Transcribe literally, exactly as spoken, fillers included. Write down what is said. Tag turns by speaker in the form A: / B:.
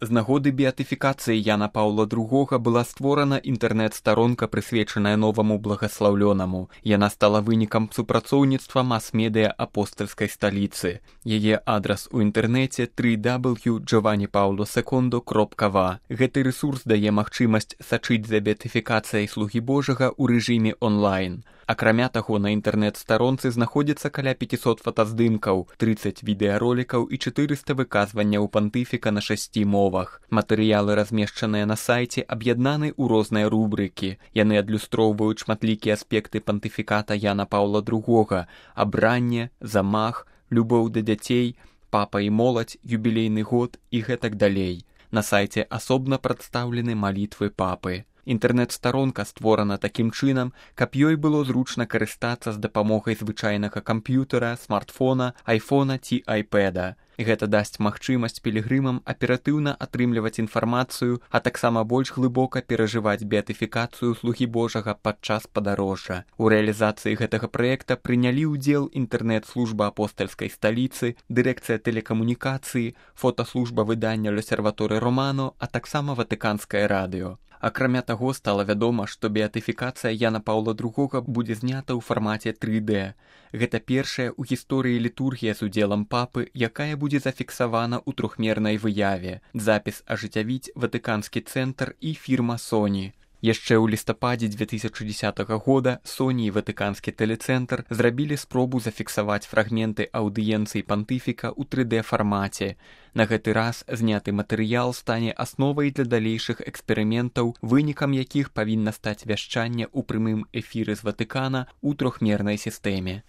A: З нагоды беатыфікацыі Яна Паўла другога была створана інтэрнэт-старонка, прысвечаная новаму благаслаўлёнаму. Яна стала вынікам супрацоўніцтва мас-медыя апостальскай сталіцы. Яе адрас у інтэрнэце тры дабл ю крапка джованні паўло секондо крапка ва. Гэты рэсурс дае магчымасць сачыць за беатыфікацыяй слугі Божага ў рэжыме онлайн. Акрамя таго, на інтэрнэт-старонцы знаходзіцца каля пяцісот фотаздымкаў, трыццаць відэаролікаў і чатырыста выказванняў пантыфіка на шасці мовах. Матэрыялы, размешчаныя на сайце, аб'яднаны ў розныя рубрыкі. Яны адлюстроўваюць шматлікія аспекты пантыфіката Яна Паўла другога: абранне, замах, любоў да дзяцей, папа і моладзь, юбілейны год і гэтак далей. На сайце асобна прадстаўлены малітвы папы. Інтэрнэт-старонка створана такім чынам, каб ёй было зручна карыстацца з дапамогай звычайнага камп'ютара, смартфона, айфона ці айпэда. Гэта дасць магчымасць пілігрымам аператыўна атрымліваць інфармацыю, а таксама больш глыбока перажываць беатыфікацыю слугі Божага падчас падарожжа. У рэалізацыі гэтага праекта прынялі ўдзел інтэрнэт-служба апостальскай сталіцы, дырэкцыя тэлекамунікацыі, фотаслужба выдання L'Osservatore Romano, а таксама Ватыканскае радыё. Акрамя таго, стала вядома, што беатыфікацыя Яна Паўла другога будзе знята ў фармаце тры дэ. Гэта першая ў гісторыі літургія з удзелам папы, якая будзе зафіксавана ў трохмернай выяве. Запіс ажыццявіць Ватыканскі цэнтр і фірма Sony. Яшчэ ў лістападзе дзве тысячы дзесятага года Sony і Ватыканскі тэлецэнтр зрабілі спробу зафіксаваць фрагменты аўдыенцыі пантыфіка ў тры дэ фармаце. На гэты раз зняты матэрыял стане асновай для далейшых эксперыментаў, вынікам якіх павінна стаць вяшчанне ў прямым эфіры з Ватыкана ў трохмернай сістэме.